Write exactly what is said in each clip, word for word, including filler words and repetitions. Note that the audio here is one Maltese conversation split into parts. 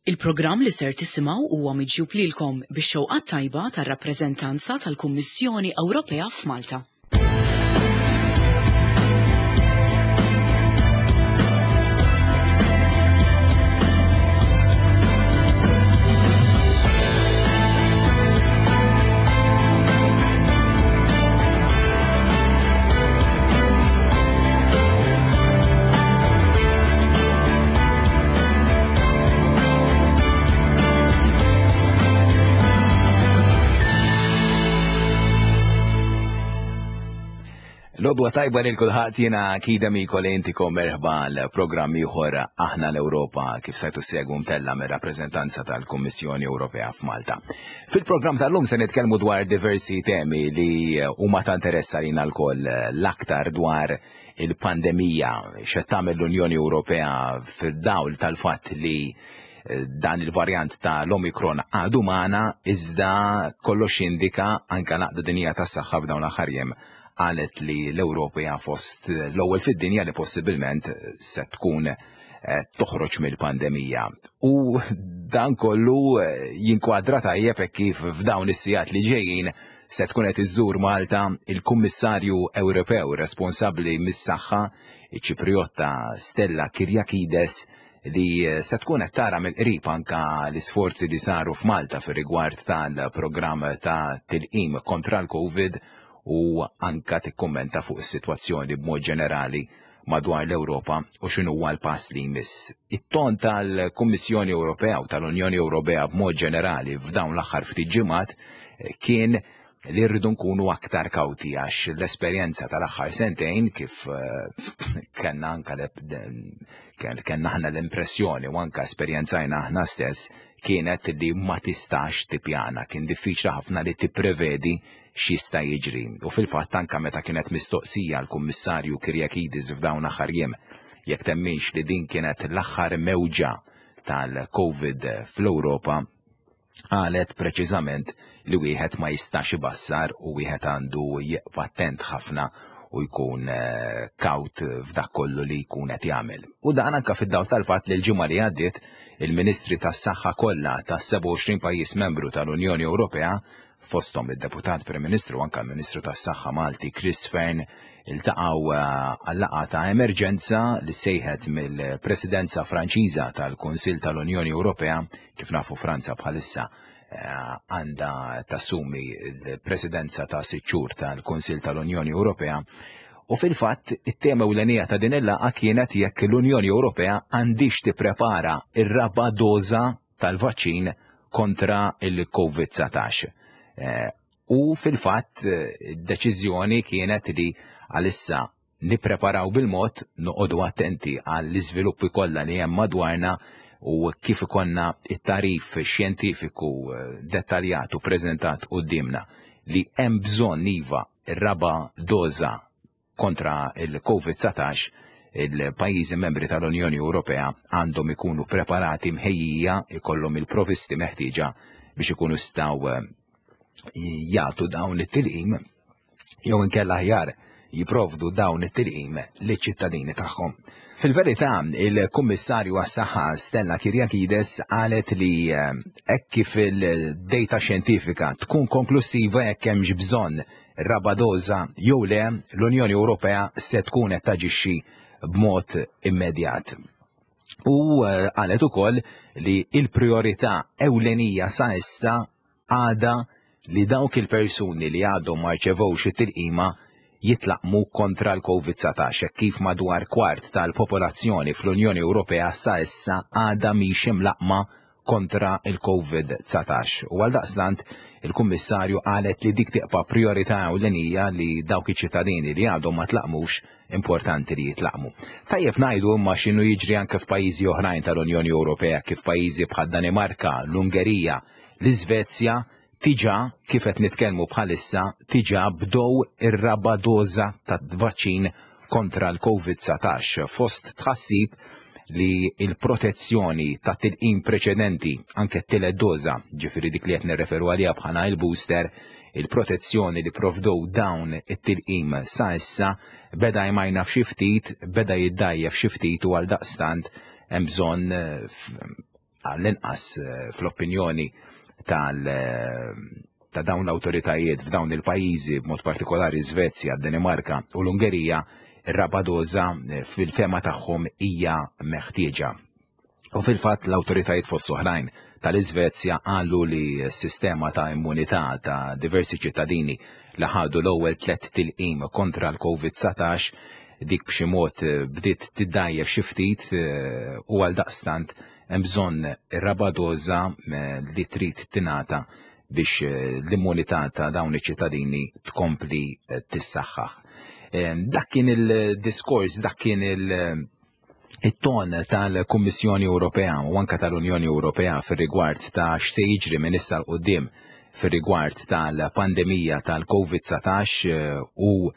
Il-programm li ser tisimgħu huwa miġjub lilkom bix-xewqa tajba tar-rappreżentanza tal-Kummissjoni Ewropea f'Malta. Lodwa tajba lil kulħadd, jiena Kida Miko li intikom merħba l-programm ieħor Aħna l-Ewropa kif sajtu segwu mtella mir-rappreżentanza tal-Kummissjoni Ewropea f'Malta. Fil-programm tal-lum se nitkellmu dwar diversi temi li huma ta' interess għalina lkoll, l-aktar dwar il-pandemija, x'qed tagħmel l-Unjoni Ewropea fid-dawl tal-fatt li dan il-varjant ta' l-Omicron għadu magħna, iżda kollox jindika anke l-Għaqda Dinjija tas-Saħħa f'dawn l-aħħar jiem qalet li l-Ewropa hija fost l-ewwel fid-dinja li possibilment se tkun toħroġ mill-pandemija. U dan kollu jinkwadra tajjeb hekk kif f'dawn is-sigħat li ġejjin se tkun qed iżżur Malta il-Kummissarju Ewropew responsabbli mis-saħħa, iċ-Ċipriotta Stella Kyriakides, li se tkun qed tara mill-qrib anka l-isforzi li saru f'Malta fir-rigward tal-programm ta' tilqim kontra l-Covid u anka tikkummenta fuq is-sitwazzjoni b'mod ġenerali madwar l-Ewropa u x'inhu huwa l-pass li jmiss. It-ton tal-Kummissjoni Ewropea u tal-Unjoni Ewropea b'mod ġenerali f'dawn l-aħħar ftit ġimgħat kien li rridu nkunu aktar kawti għax l-esperjenza tal-aħħar sentejn kif kellna anka kellna aħna l-impressjoni u anka esperjenzajna aħna stess kienet li ma tistax tippjana, kien diffiċli ħafna li tipprevedi x'jista' jiġri. U fil-fatt anka meta kienet mistoqsija l-Kummissarju Kyriakides f'dawn aħħar jiem jekk temminx li din kienet l-aħħar mewġa tal-Covid fl-Ewropa, qalet preċiżament li wieħed ma jistax ibassar u wieħed għandu jibqa' attent ħafna u jkun kawt f'dak kollu li jkun qed jagħmel. U dan anka fid-dawl tal-fatt li l-ġimgħa li għaddiet il-Ministri tas-Saħħa kollha tas sebgħa u għoxrin pajjiż membru tal-Unjoni Ewropea, fosthom id-Deputat Prim Ministru anka l-Ministru tas-Saħħa Malti Chris Fearne, iltaqgħu għal-laqgħa ta' emerġenza li sejħet mill-Presidenza Franċiża tal-Kunsill tal-Unjoni Ewropea. Kif nafu Franza bħalissa għandha tassumi l-Presidenza ta' sitt xhur tal-Kunsill tal-Unjoni Ewropea. U fil-fatt it-tema ewlenija ta' din il-laqgħa kienet jekk l-Unjoni Ewropea għandix tipprepara ir-raba' doża tal-vaċċin kontra il-Covid dsatax. U fil-fatt id-deċiżjoni kienet li għalissa nippreparaw bil-mod, noqogħdu attenti għall-iżviluppi kollha li hemm madwarna u kif ikonna it-tarif xjentifiku dettaljat u preżentat quddiemna li hemm bżonn iva r-raba' doża kontra il-Covid dsatax, il-pajjiżi membri tal-Unjoni Ewropea għandhom ikunu preparati mħejjija, ikollhom il-provisti meħtieġa biex ikunu jistgħu jagħtu dawn it-tilqim jew inkella aħjar jipprovdu dawn it-tilqim liċ-ċittadini tagħhom. Fil-verità, il-Kummissarju għas-Saħħa Stella Kyriakides qalet li hekk kif il-data xjentifika tkun konklusiva jekk hemmx bżonn raba' doża jew le, l-Unjoni Ewropea se tkun qed taġixxi b'mod immedjat. U qalet ukoll li l-priorità ewlenija sa issa għadha li dawk il-persuni li għadhom ma rċevewx it-tilqima jitlaqmu kontra l-Covid dsatax, hekk kif madwar kwart tal-popolazzjoni fl-Unjoni Ewropea sa issa għadha mhix imlaqma kontra il-Covid dsatax. U għaldaqstant il-Kummissarju qalet li dik tibqa' priorità ewlenija li dawk iċ-ċittadini li għadhom ma tlaqmux importanti li jitlaqmu. Tajjeb ngħidu imma x'inhu jiġri anke f'pajjiżi oħrajn tal-Unjoni Ewropea, kif pajjiżi bħad Danimarka, l-Ungerija, l-Iżvezja, tiġa kif qed nitkellmu bħalissa tiġa bdew ir-raba' doża tat-vaċċin kontra l-Covid dsatax, fost tħassib li l-protezzjoni ta' tilqim preċedenti, anke t-tielet doża, ġifieri dik li qed nirreferu għaliha bħala il-booster, il-protezzjoni li provdow dawn it-tilqim sa issa beda jmajna f'xi ftit, beda jiddajjef xi ftit u għaldaqstant hemm bżonn għall-inqas fl-opinjoni tal ta' dawn l-awtoritajiet f'dawn il-pajjiżi, b'mod partikolari Svezja, Danimarka u l-Ungerija, ir-raba' doża fil-fehma tagħhom hija meħtieġa. U fil-fatt l-awtoritajiet fost oħrajn tal-Iżvezja qalu li s-sistema ta' immunità ta' diversi ċittadini li ħadu l-ewwel tliet tilqim kontra l-Covid dsatax dik b'xi mod bdiet tiddajjef xi ftit u għal daqstant hemm bżonn ir-raba' doża li trid tingħata biex l-immunità ta' dawn iċ-ċittadini tkompli tissaħħaħ. Dak kien il-diskors, dak kien il- it-ton tal-Kummissjoni Ewropea u anka tal-Unjoni Ewropea fir-rigward ta' x'se jiġri minn issa 'l quddiem fir-rigward tal-pandemija tal-Covid dsatax u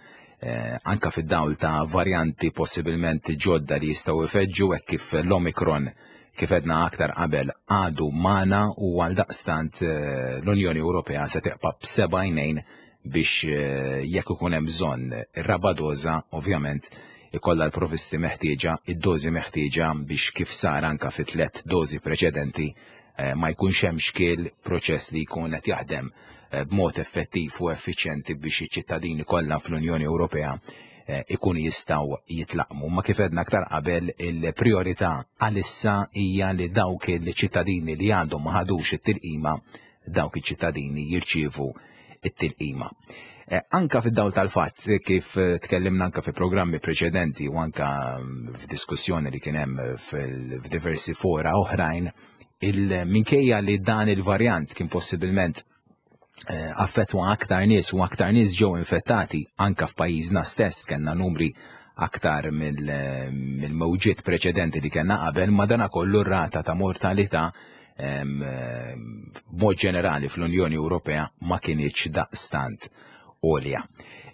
anka fid-dawl ta' varjanti possibilment ġodda li jistgħu ifeġġu hekk kif l-Omicron, kif edna aktar qabel, għadu magħna u għal daqstant l-Unjoni Ewropea se teqpa' b'seba' għajnejn biex jekk ikun hemm bżonn ir-raba' doża ovvjament ikollha l-provisti meħtieġa, id-dożi meħtieġa biex kif sar anka fi tliet dożi preċedenti ma jkunx hemm xkiel, proċess li jkun qed jaħdem b'mod effettiv u effiċjenti biex iċ-ċittadini kollha fl-Unjoni Ewropea ikun jistgħu jitlaqmu. Ma kif edna aktar qabel, il-priorità għalissa hija li dawk il-ċittadini li għandhom ma ħadux it-tilqima, dawk iċ-ċittadini jirċievu it-tilqima. Anka fid-dawl tal-fatt kif tkellimna anka fi programmi preċedenti u anka f'diskussjoni li kien hemm f'diversi fora oħrajn, il-minkejja li dan il-varjant kien possibilment affettwa aktar nies u aktar nies ġew infettati anka f'pajjiżna stess, kellna numri aktar mill-mewġiet preċedenti li kellna qabel, ma dana kollu r-rata ta' mortalità b'mod ġenerali fl-Unjoni Ewropea ma kinitx daqstant għolja.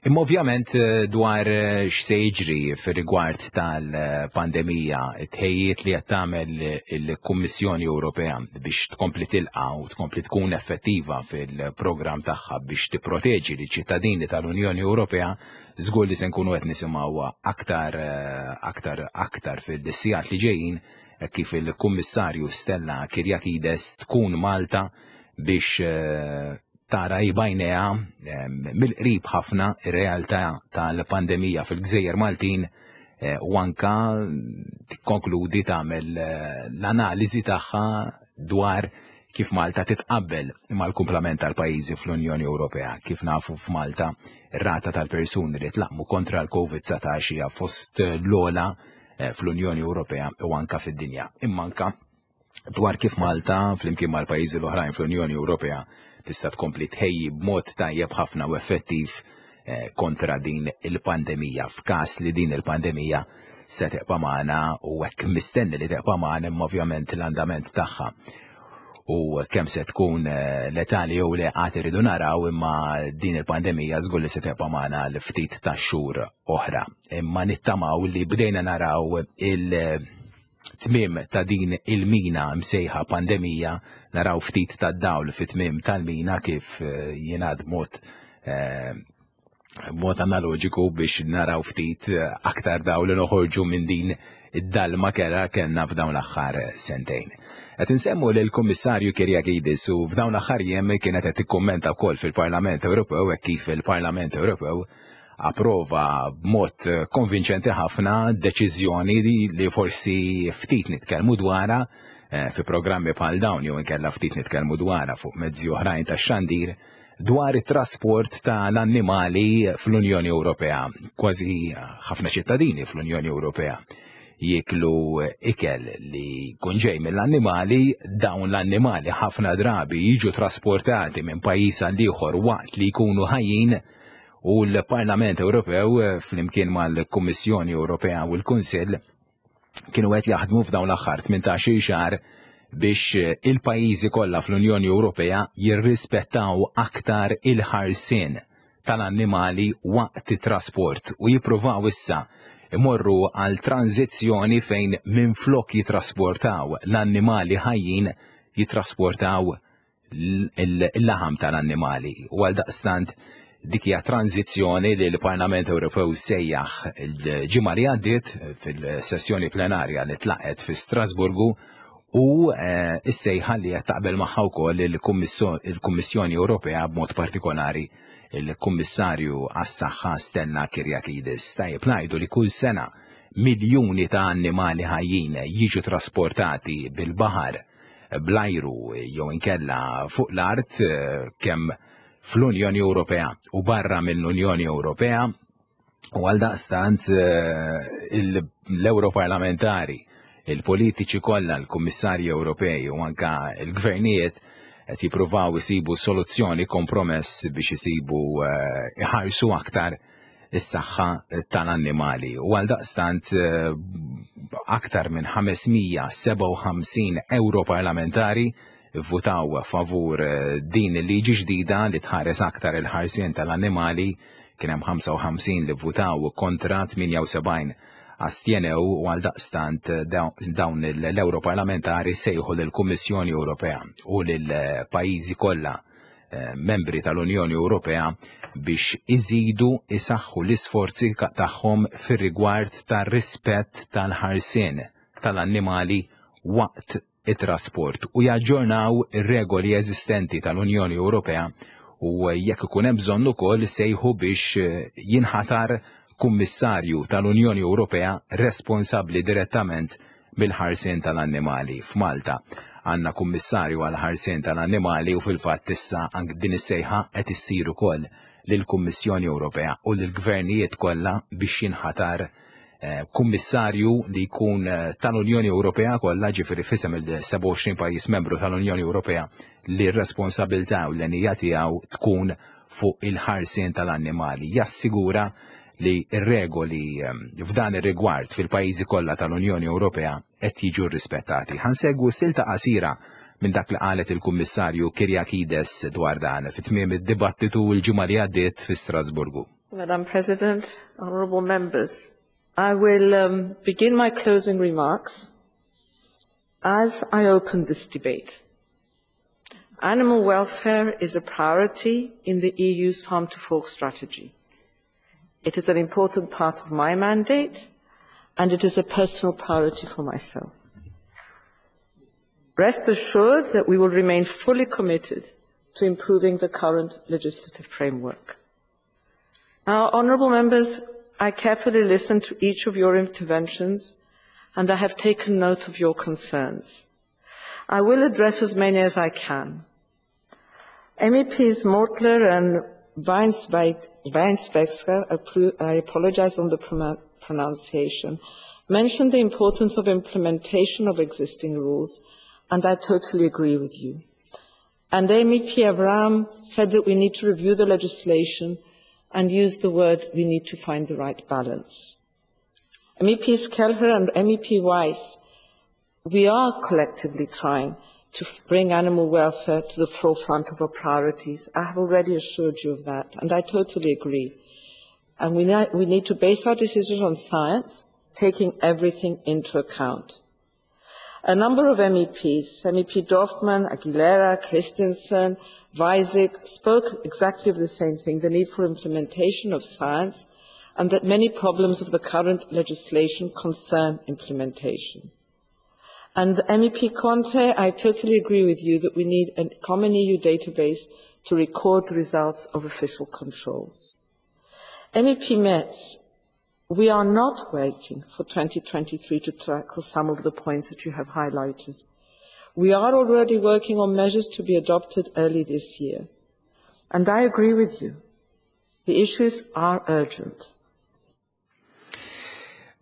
Imma ovvjament dwar x'se jiġri fir-rigward tal-pandemija, it-tħejjiet li qed tagħmel il-Kummissjoni Ewropea biex tkompli tilqa' u tkompli tkun effettiva fil-programm tagħha biex tipproteġi liċ-ċittadini tal-Unjoni Ewropea, żgur li se nkunu qed nisimgħu aktar aktar aktar fil-sigħat li ġejjin kif il-Kummissarju Stella Kyriakides tkun Malta biex tara b'għajnejha mill-qrib ħafna ir-realtà tal-pandemija fil-Gżejjer Maltin u anka tikkonkludi tagħmel l-analiżi tagħha dwar kif Malta titqabbel mal-kumplament tal-pajjiżi fl-Unjoni Ewropea. Kif nafu f'Malta ir-rata tal-persuni li tlaqmu kontra l-Covid dsatax hija fost l-ogħla fl-Unjoni Ewropea u anka fid-dinja. Imma anka dwar kif Malta flimkien mal-pajjiżi l-oħrajn fl-Unjoni Ewropea tista' tkompli tħejji b'mod tajjeb ħafna u effettiv kontra din il-pandemija, f'każ li din il-pandemija se teqpa' magħna u hekk mistenni li teqpa' magħna, imma ovvjament l-andament tagħha u kemm se tkun letali jew le qatt iridu naraw, imma din il-pandemija żgur li se teqpa' magħna l ftit ta' xhur oħra. Imma nittamaw li bdejna naraw il-tmiem ta' din il-mina msejħa pandemija, naraw ftit ta' dawl fit-tmiem tal-mina kif jingħad mod mod analoġiku biex naraw ftit aktar dawl li noħorġu minn din id-dalma kera kellna f'dawn l-aħħar sentejn. Qed insemmu lil Kummissarju Kyriakides u f'dawn l-aħħar jiem kienet qed tikkummenta wkoll fil-Parlament Ewropew hekk kif il-Parlament Ewropew approva b'mod konvinċenti ħafna deċiżjoni li forsi ftit nitkellmu dwarha fi programmi bħal dawn jew inkella ftit nitkellmu dwarha fuq mezzi oħrajn tax-xandir dwar it-trasport tal-annimali fl-Unjoni Ewropea. Kważi ħafna ċittadini fl-Unjoni Ewropea jieklu ikel li jkun ġej mill-annimali, dawn l-annimali ħafna drabi jiġu trasportati minn pajjiż għal ieħor waqt li jkunu ħajjin, u l-Parlament Ewropew flimkien mal-Kummissjoni Ewropea u l-Kunsill kienu qed jaħdmu f'dawn l-aħħar tmintax-il xahar biex il-pajjiżi kollha fl-Unjoni Ewropea jirrispettaw aktar il-ħarsien tal-annimali waqt it-trasport u jippruvaw issa imorru għal tranzizzjoni fejn minflok jitrasportaw l-annimali ħajjin jitrasportaw il-laħam tal-annimali. U għal daqstant dik hija tranzizzjoni li l-Parlament Ewropew sejjaħ il-ġimgħa li għaddiet fil-sessjoni plenarja li tlaqet fi Strasburgu U eh, is-sejħa li qed taqbel magħha wkoll il-Kummissjoni Ewropea, b'mod partikolari il-Kummissarju għas-Saħħa Stella Kyriakides. Tajjeb ngħidu li kull sena miljuni ta' annimali ħajjin jiġu trasportati bil-baħar, bl-ajru jew inkella fuq l-art, eh, kemm fl-Unjoni Ewropea u barra mill-Unjoni Ewropea, u għal daqstant eh, l-Europarlamentari, il-politiċi kollha, l-Kummissarji Ewropej u anka l-gvernijiet qed jippruvaw isibu soluzzjoni, kompromess biex isibu eh, iħarsu aktar is-saħħa tal-annimali. U għal daqstant eh, aktar minn ħames mija u sebgħa u ħamsin europarlamentari votaw favur eh, din il-liġi ġdida li tħares aktar il-ħarsien tal-annimali. Kien hemm ħamsa u ħamsin li votaw kontra, tmienja u sebgħin astjenew, u għal daqstant dawn l-Europarlamentari sejħu lill-Kummissjoni Ewropea u lill-pajjiżi kollha eh, membri tal-Unjoni Ewropea biex iżidu isaħħu l-isforzi tagħhom fir-rigward tar-rispett tal-ħarsien tal-annimali waqt it-trasport u jaġġornaw ir-regoli eżistenti tal-Unjoni Ewropea, u jekk ikun hemm bżonn ukoll sejħu biex jinħatar kummissarju tal-Unjoni Ewropea responsabbli direttament mill-ħarsien tal-annimali. F'Malta għandna kummissarju għal ħarsien tal-annimali u fil-fatt issa anke din is-sejħa qed issir ukoll lill-Kummissjoni Ewropea u lill-gvernijiet kollha biex jinħatar eh, kummissarju li jkun eh, tal-Unjoni Ewropea kollha, ġifieri f'isem il-sebgħa u għoxrin pajjiż membru tal-Unjoni Ewropea, li r-responsabilità u l-enija tiegħu tkun fuq il-ħarsien tal-annimali. Jassigura li r-regoli ehm, f'dan ir-rigward fil-pajjiżi kollha tal-Unjoni Ewropea qed jiġu rispettati. Ħa nsegwu silta qasira minn dak li qalet il-Kummissarju Kyriakides dwar dan fi tmiem id-dibattitu l-ġimgħa li għaddiet fi Strasburgu. Madam President, honorable members, I will um, begin my closing remarks as I open this debate. Animal welfare is a priority in the E U's Farm to Fork strategy. It is an important part of my mandate, and it is a personal priority for myself. Rest assured that we will remain fully committed to improving the current legislative framework. Now, honourable members, I carefully listened to each of your interventions and I have taken note of your concerns. I will address as many as I can. M E Ps Mortler and Weinsweisker, I apologize on the pronunciation, mentioned the importance of implementation of existing rules, and I totally agree with you. And M E P Avram said that we need to review the legislation and use the word "we need to find the right balance." M E Ps Kelleher and M E P Weiss, we are collectively trying to bring animal welfare to the forefront of our priorities. I have already assured you of that, and I totally agree. And we, we need to base our decisions on science, taking everything into account. A number of M E Ps, M E P Dorfmann, Aguilera, Christensen, Weisig, spoke exactly of the same thing, the need for implementation of science, and that many problems of the current legislation concern implementation. And M E P Conte, I totally agree with you that we need a common E U database to record the results of official controls. M E P Metz, we are not waiting for twenty twenty-three to tackle some of the points that you have highlighted. We are already working on measures to be adopted early this year. And I agree with you. The issues are urgent.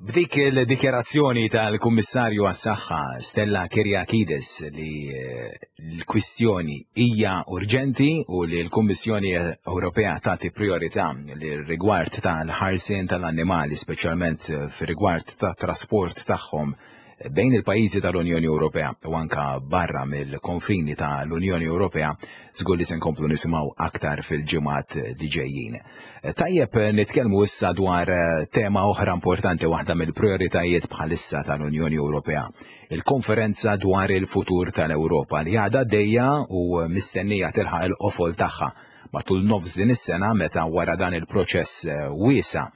B'dik il-dikjarazzjoni tal-Kummissarju għas-Saħħa Stella Kyriakides li eh, l-kwistjoni hija urġenti u li l-Kummissjoni Ewropea tagħti priorità li rigward tal-ħarsien tal-annimali, speċjalment fir-rigward tat-trasport tagħhom bejn il-pajjiżi tal-Unjoni Ewropea u anka barra mill-konfini tal-Unjoni Ewropea, żgur li se nkomplu nisimgħu aktar fil-ġimgħat li ġejjin. Tajjeb nitkellmu issa dwar tema oħra importanti, waħda mill-prioritajiet bħalissa tal-Unjoni Ewropea, il-konferenza dwar il-futur tal-Ewropa li għadha għaddejja u mistennija tilħaq il-qofol tagħha matul nofs din is-sena, meta wara dan il-proċess wiesa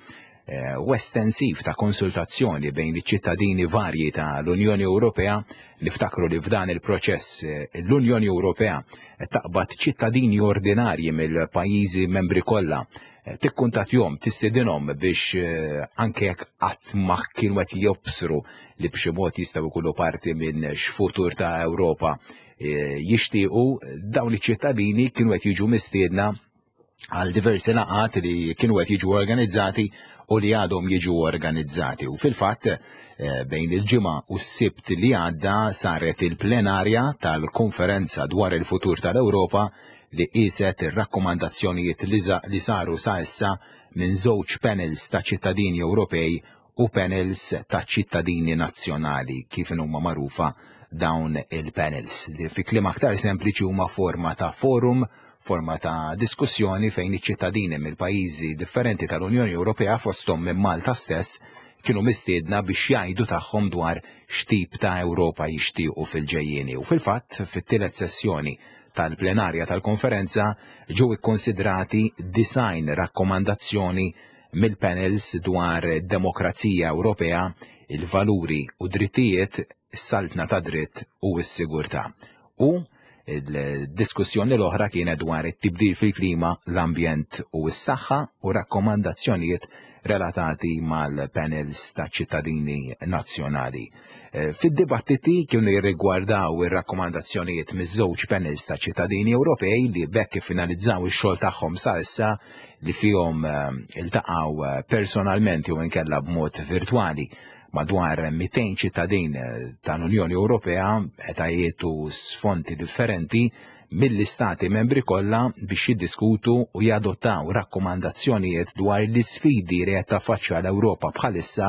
u estensiv ta' konsultazzjoni bejn iċ-ċittadini varji ta' l-Unjoni Ewropea. Niftakru li f'dan il-proċess l-Unjoni Ewropea taqbad ċittadini ordinarji mill-pajjiżi membri kollha, tikkuntattjahom, tistedinhom biex anke jekk qatt ma kienu qed jobsru li b'xi mod jistgħu jkunu parti minn x'futur ta' Ewropa jixtiequ, dawn iċ-ċittadini kienu qed jiġu mistiedna għal diversi laqgħat li kienu qed jiġu organizzati u li għadhom jiġu organizzati. U fil-fatt, bejn il-Ġimgħa u s-Sibt li għadda saret il-plenarja tal-konferenza dwar il-futur tal-Ewropa li qiset ir-rakkomandazzjonijiet li saru sa issa minn żewġ panels ta' ċittadini Ewropej u panels ta' ċittadini nazzjonali, kif huma magħrufa dawn il-panels, li fi kliem aktar sempliċi huma forma ta' forum, forma ta' diskussjoni fejn iċ-ċittadini mill-pajjiżi differenti tal-Unjoni Ewropea, fosthom minn Malta stess, kienu mistiedna biex jgħidu tagħhom dwar x'tip ta' Ewropa jixtiequ fil-ġejjieni. U fil-fatt, fit-tielet sessjoni tal-plenarja tal-konferenza ġew ikkonsidrati disgħin rakkomandazzjoni mill-panels dwar demokrazija Ewropea, il-valuri u drittijiet, is-saltna ta' dritt u s-sigurtà. U il-diskussjoni l-oħra kienet dwar it-tibdil fil-klima, l-ambjent u s-saħħa u rakkomandazzjonijiet relatati mal-panels ta' ċittadini nazzjonali. Fid-dibattiti kienu jirrigwardaw ir-rakkomandazzjonijiet miż-żewġ panels ta' ċittadini Ewropej li bekk finalizzaw ix-xogħol tagħhom sa issa, li fihom iltaqgħu personalment jew inkella b'mod virtwali madwar mitejn ċittadin tal-Unjoni Ewropea, etajiet u sfondi differenti, mill-istati membri kollha biex jiddiskutu u jadottaw rakkomandazzjonijiet dwar l-isfidi li qed taffaċċja l-Ewropa bħalissa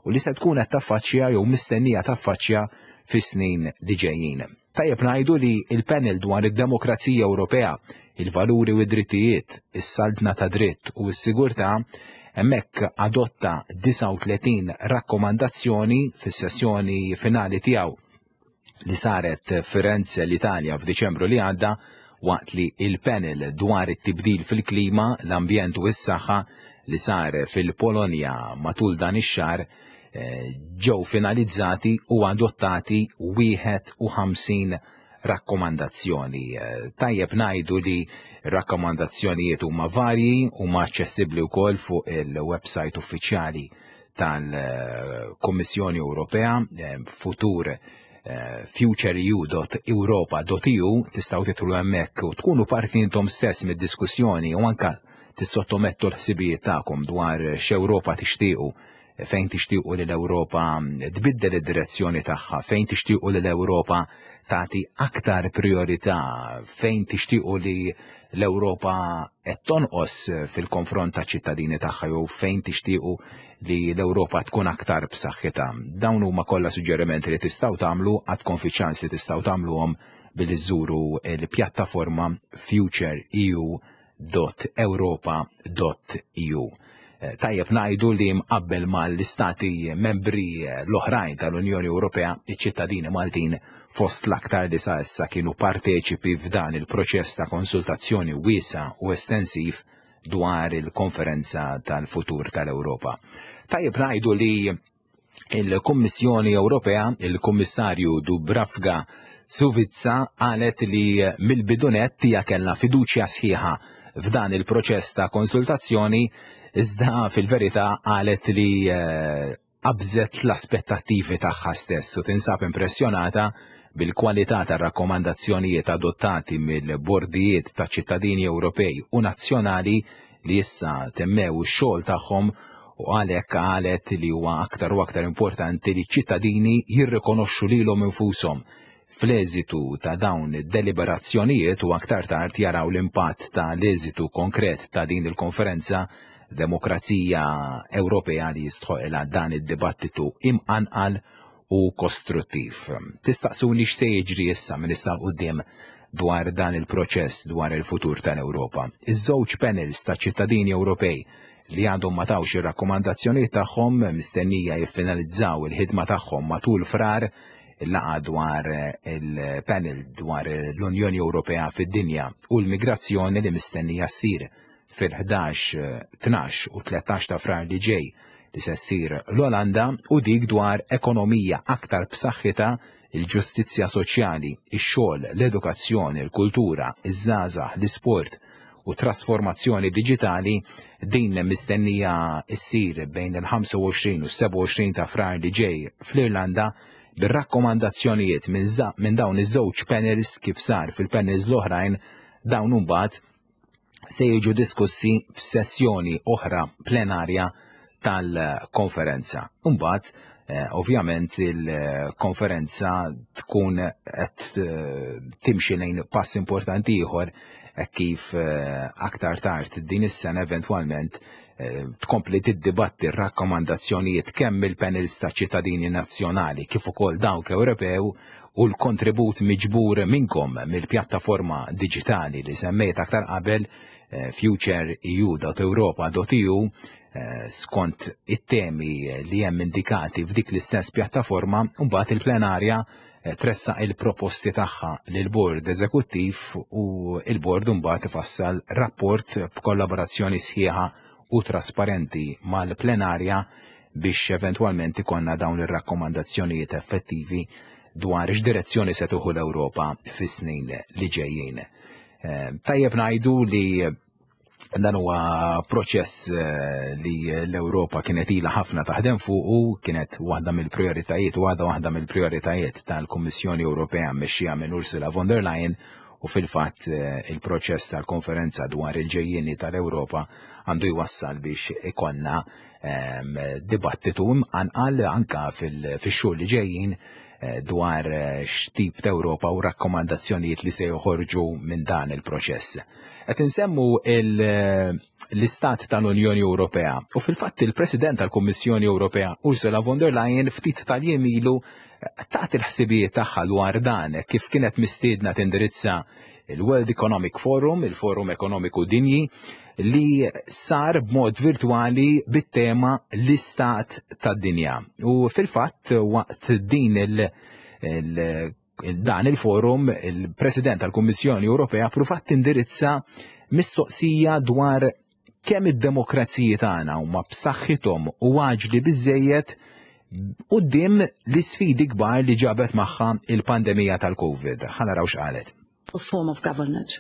u li se tkun qed taffaċċja jew mistennija taffaċċja fis-snin li ġejjin. Tajjeb ngħidu li il-panel dwar id-demokrazija Ewropea, il-valuri u d-drittijiet, is-saltna ta' dritt u s-sigurtà hemmhekk adotta disgħa u tletin rakkomandazzjoni fis-sessjoni finali tiegħu li saret Firenze, l-Italja, f'Diċembru li għadda, waqt li il-panel dwar it-tibdil fil-klima, l-ambjent u s-saħħa li sar fil-Polonja matul dan ix-xahar ġew finalizzati u adottati wieħed u ħamsin rakkomandazzjoni. Tajjeb ngħidu li rakkomandazzjonijiet huma varji, huma aċċessibbli wkoll fuq il-website uffiċjali tal-Kommissjoni Ewropea, futur futureu dot europa dot E U, tistgħu tidħlu hemmhekk u tkunu parti intom stess mid-diskussjoni u anka tissottomettu l-ħsibijiet tagħkom dwar x'Ewropa tixtiequ, fejn tixtiequ li l-Ewropa tbiddel id-direzzjoni tagħha, fejn tixtiequ li l-Ewropa tagħti aktar priorità, fejn tixtiequ li l-Ewropa qed tonqos fil-konfront ta' ċittadini tagħha jew fejn tixtiequ li l-Ewropa tkun aktar b'saħħitha. Dawn huma kollha suġġerimenti li tistgħu tagħmlu, għandkom fi ċans li tistgħu tagħmluhom billi żżuru l-pjattaforma futureu dot europa dot E U. Tajjeb ngħidu li mqabbel mal-istati membri l-oħrajn tal-Unjoni Ewropea, iċ-ċittadini Maltin fost l-aktar li sa issa kienu parteċipi f'dan il-proċess ta' konsultazzjoni wiesa u estensiv dwar il-konferenza tal-futur tal-Ewropa. Tajjeb ngħidu li il-Kummissjoni Ewropea, il-Kummissarju Dubravka Šuica, qalet li mill-bidu nett hija kellha fiduċja sħiħa f'dan il-proċess ta' konsultazzjoni, iżda fil-verità qalet li qabżet l-aspettattivi tagħha stess u tinsab impressjonata bil-kwalità tar-rakkomandazzjonijiet adottati mill-bordijiet ta' ċittadini Ewropej u nazzjonali li issa temmew ix-xogħol tagħhom, u għalhekk qalet li huwa aktar u aktar importanti li ċ-ċittadini jirrikonoxxu lilhom infushom fl-eżitu ta' dawn id-deliberazzjonijiet u aktar tard jaraw l-impatt ta' l-eżitu konkret ta' din il-konferenza, demokrazija Ewropea li jistħoqilha dan id-dibattitu imqanqal u kostruttiv. Tistaqsuni x'se jiġri issa minn issa 'l quddiem dwar dan il-proċess dwar il-futur tal-Ewropa. Iż-żewġ panels ta' ċittadini Ewropej li għadhom ma tawx ir-rakkomandazzjonijiet tagħhom mistennija jiffinalizzaw il-ħidma tagħhom matul Frar. Il-laqgħa dwar il-panel dwar l-Unjoni Ewropea fid-dinja u l-migrazzjoni li mistennija ssir fil-ħdax, tnax u tlettax ta' Frar li ġej li se ssir l-Olanda u dik dwar ekonomija aktar b'saħħitha, il-ġustizzja soċjali, ix-xogħol, l-edukazzjoni, il-kultura, iż-żgħażagħ, l-isport u trasformazzjoni diġitali din mistennija ssir bejn il-ħamsa u għoxrin u s-sebgħa u għoxrin ta' Frar li ġej fl-Irlanda bir-rakkomandazzjonijiet minn za-, minn dawn iż-żewġ panels kif sar fil-panels l-oħrajn dawn imbagħad se jiġu diskussi f'sessjoni oħra plenarja tal-konferenza. Imbagħad, eh, ovvjament il-konferenza tkun qed, eh, timxi lejn pass importanti ieħor hekk kif, eh, aktar tard din is-sena eventwalment, eh, tkompli tiddibatti r-rakkomandazzjonijiet kemm il-panels ta' ċittadini nazzjonali kif ukoll dawk Ewropew u l-kontribut miġbur minnkom mill-pjattaforma diġitali li semmejt aktar qabel, eh, future E U dot europa dot E U, eh, skont it-temi li hemm indikati f'dik l-istess pjattaforma, u mbagħad il-plenarja, eh, tressaq il-proposti tagħha lill-Bord Eżekuttiv u il-Bord mbagħad ifassal rapport b'kollaborazzjoni sħiħa u trasparenti mal-plenarja biex eventwalment ikonna dawn ir-rakkomandazzjonijiet effettivi dwar x'direzzjoni se tieħu l-Ewropa fis-snin li ġejjin. Eh, tajjeb ngħidu li dan huwa proċess, eh, li l-Ewropa kienet ilha ħafna taħdem fuqu, kienet waħda mill-prijoritajiet u għadha waħda mill-prijoritajiet tal-Kummissjoni Ewropea mmexxija minn Ursula von der Leyen, u fil-fatt, eh, il-proċess tal-konferenza dwar il-ġejjieni tal-Ewropa għandu jwassal biex ikonna, ehm, dibattitu imqanqal anka fil-, fix-xhur li ġejjin, eh, dwar, eh, x'tip ta' Ewropa u rakkomandazzjonijiet li se joħorġu minn dan il-proċess. Qed insemmu il-, l-Istat tal-Unjoni Ewropea u fil-fatt il-President tal-Kummissjoni Ewropea Ursula von der Leyen ftit tal-jiem ilu tat il-ħsibijiet tagħha dwar dan kif kienet mistiedna tindirizza il-World Economic Forum, il-Forum Ekonomiku Dinji, li sar b'mod virtuali bit-tema l-Istat tad-Dinja. U fil-fatt waqt din il-, il-, dan il-forum, il-President tal-Kummissjoni Ewropea pruvat tindirizza mistoqsija dwar kemm id-demokraziji tagħna huma b'saħħithom u għaġli biżejjed quddiem l-isfidi kbar li ġabet magħha il-pandemija tal-Covid. Ħa naraw x'qalet. A form of government.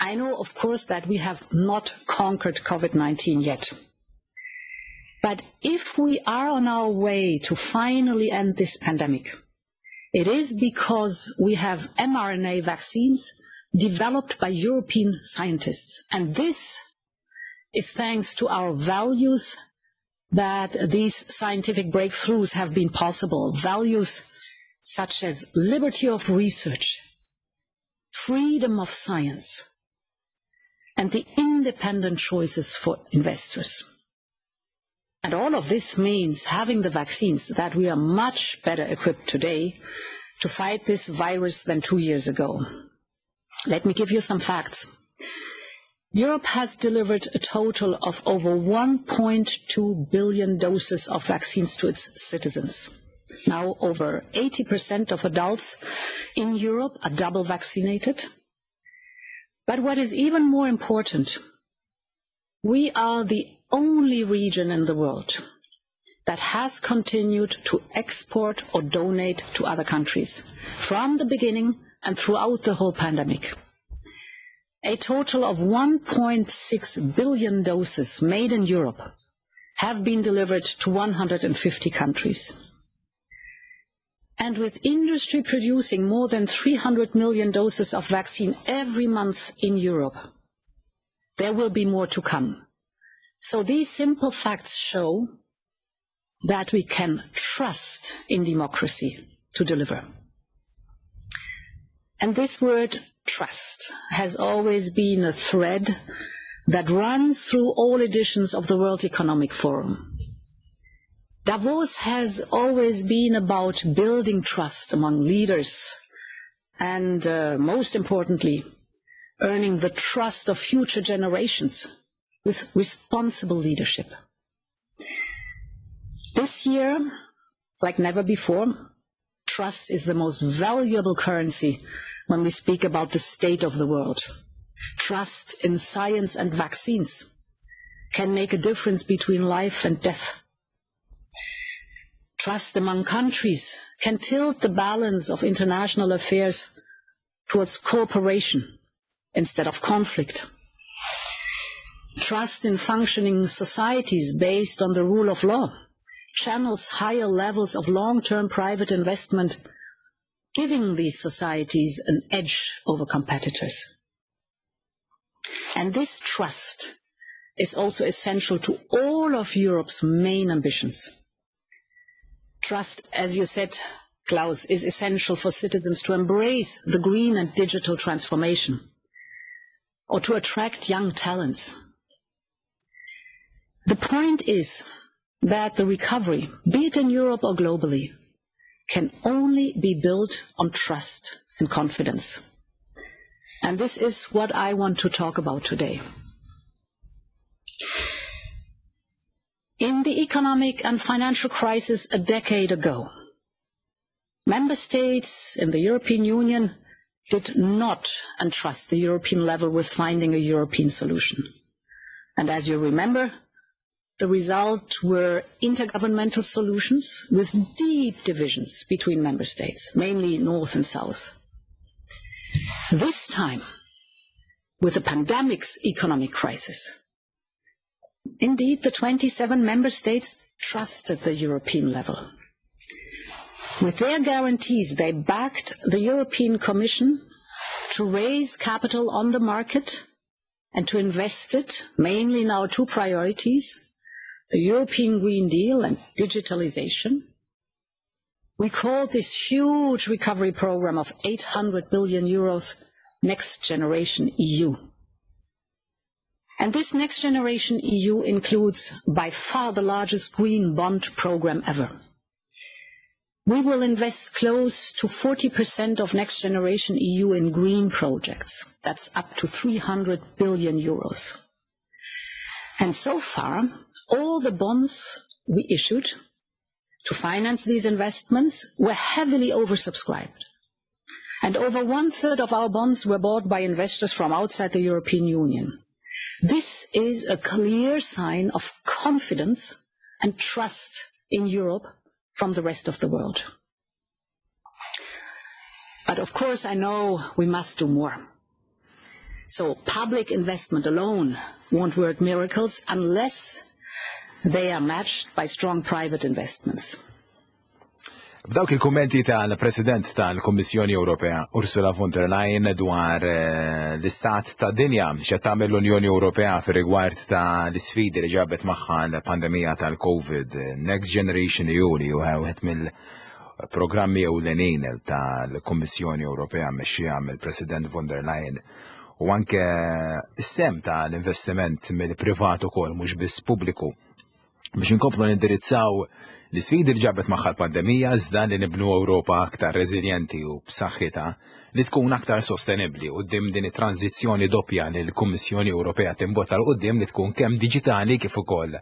I know, of course, that we have not conquered COVID nineteen yet. But if we are on our way to finally end this pandemic, it is because we have mRNA vaccines developed by European scientists. And this is thanks to our values that these scientific breakthroughs have been possible. Values such as liberty of research, freedom of science, and the independent choices for investors. And all of this means having the vaccines that we are much better equipped today to fight this virus than two years ago. Let me give you some facts. Europe has delivered a total of over one point two billion doses of vaccines to its citizens. Now over eighty percent of adults in Europe are double vaccinated. But what is even more important, we are the only region in the world that has continued to export or donate to other countries from the beginning and throughout the whole pandemic. A total of one point six billion doses made in Europe have been delivered to one hundred and fifty countries. And with industry producing more than three hundred million doses of vaccine every month in Europe, there will be more to come. So these simple facts show that we can trust in democracy to deliver. And this word trust has always been a thread that runs through all editions of the World Economic Forum. Davos has always been about building trust among leaders and, uh, most importantly, earning the trust of future generations with responsible leadership. This year, like never before, trust is the most valuable currency when we speak about the state of the world. Trust in science and vaccines can make a difference between life and death. Trust among countries can tilt the balance of international affairs towards cooperation instead of conflict. Trust in functioning societies based on the rule of law channels higher levels of long-term private investment, giving these societies an edge over competitors. And this trust is also essential to all of Europe's main ambitions. Trust, as you said, Klaus, is essential for citizens to embrace the green and digital transformation or to attract young talents. The point is that the recovery, be it in Europe or globally, can only be built on trust and confidence. And this is what I want to talk about today. In the economic and financial crisis a decade ago, member states in the European Union did not entrust the European level with finding a European solution. And as you remember, the result were intergovernmental solutions with deep divisions between member states, mainly North and South. This time, with the pandemic's economic crisis, indeed the twenty-seven member states trusted the European level. With their guarantees, they backed the European Commission to raise capital on the market and to invest it, mainly in our two priorities, the European Green Deal and digitalization. We called this huge recovery program of eight hundred billion euros Next Generation E U. And this Next Generation E U includes by far the largest green bond program ever. We will invest close to forty percent of Next Generation E U in green projects. That's up to three hundred billion euros. And so far, all the bonds we issued to finance these investments were heavily oversubscribed. And over one-third of our bonds were bought by investors from outside the European Union. This is a clear sign of confidence and trust in Europe from the rest of the world. But of course, I know we must do more. So public investment alone won't work miracles unless they are matched by strong private investments. B'dawk il-kummenti tal-President tal-Kummissjoni Ewropea Ursula von der Leyen dwar, eh, l-istat ta' dinja x'qed tagħmel l-Unjoni Ewropea fir-rigward ta' l-isfidi li ġabet magħha l-pandemija tal-COVID, Next Generation E U li huwa wieħed mill-programmi ewlenin tal-Kummissjoni Ewropea mmexxija mill-President von der Leyen, u anke s-sem tal-investiment mill-privat ukoll mhux biss pubbliku biex inkomplu nindirizzaw l-isfidi li ġabet magħha l-pandemija iżda li nibnu Ewropa aktar reżiljenti u b'saħħitha li tkun aktar sostenibbli quddiem din it-tranzizzjoni doppja li l-Kummissjoni Ewropea timbotta l quddiem li tkun kemm diġitali kif ukoll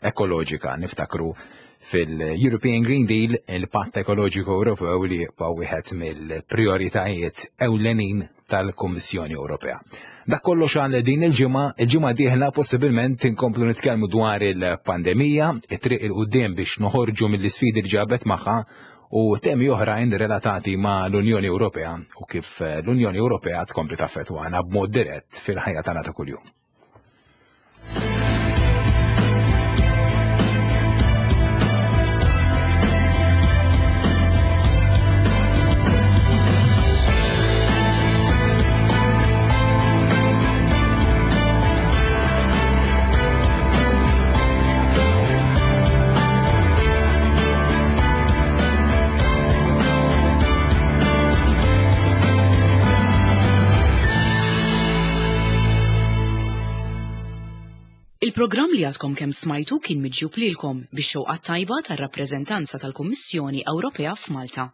ekoloġika. Niftakru fil-European Green Deal, il-Patt Ekoloġiku Ewropew li jibqa' wieħed mill-prioritajiet ewlenin tal-Kummissjoni Ewropea. Dak kollox għal din il-ġimgħa, il-ġimgħa dieħla possibilment inkomplu nitkellmu dwar il-pandemija, it-triq il quddiem biex noħorġu mill-isfidi li ġabet magħha u temi oħrajn relatati ma' l-Unjoni Ewropea u kif l-Unjoni Ewropea tkompli taffettwana b'mod dirett fil-ħajja tagħna ta' kuljum. Il-programm li għadkom kemm smajtu kien miġjub lilkom bix-xewqa tajba tar-rappreżentanza tal-Kummissjoni Ewropea f'Malta.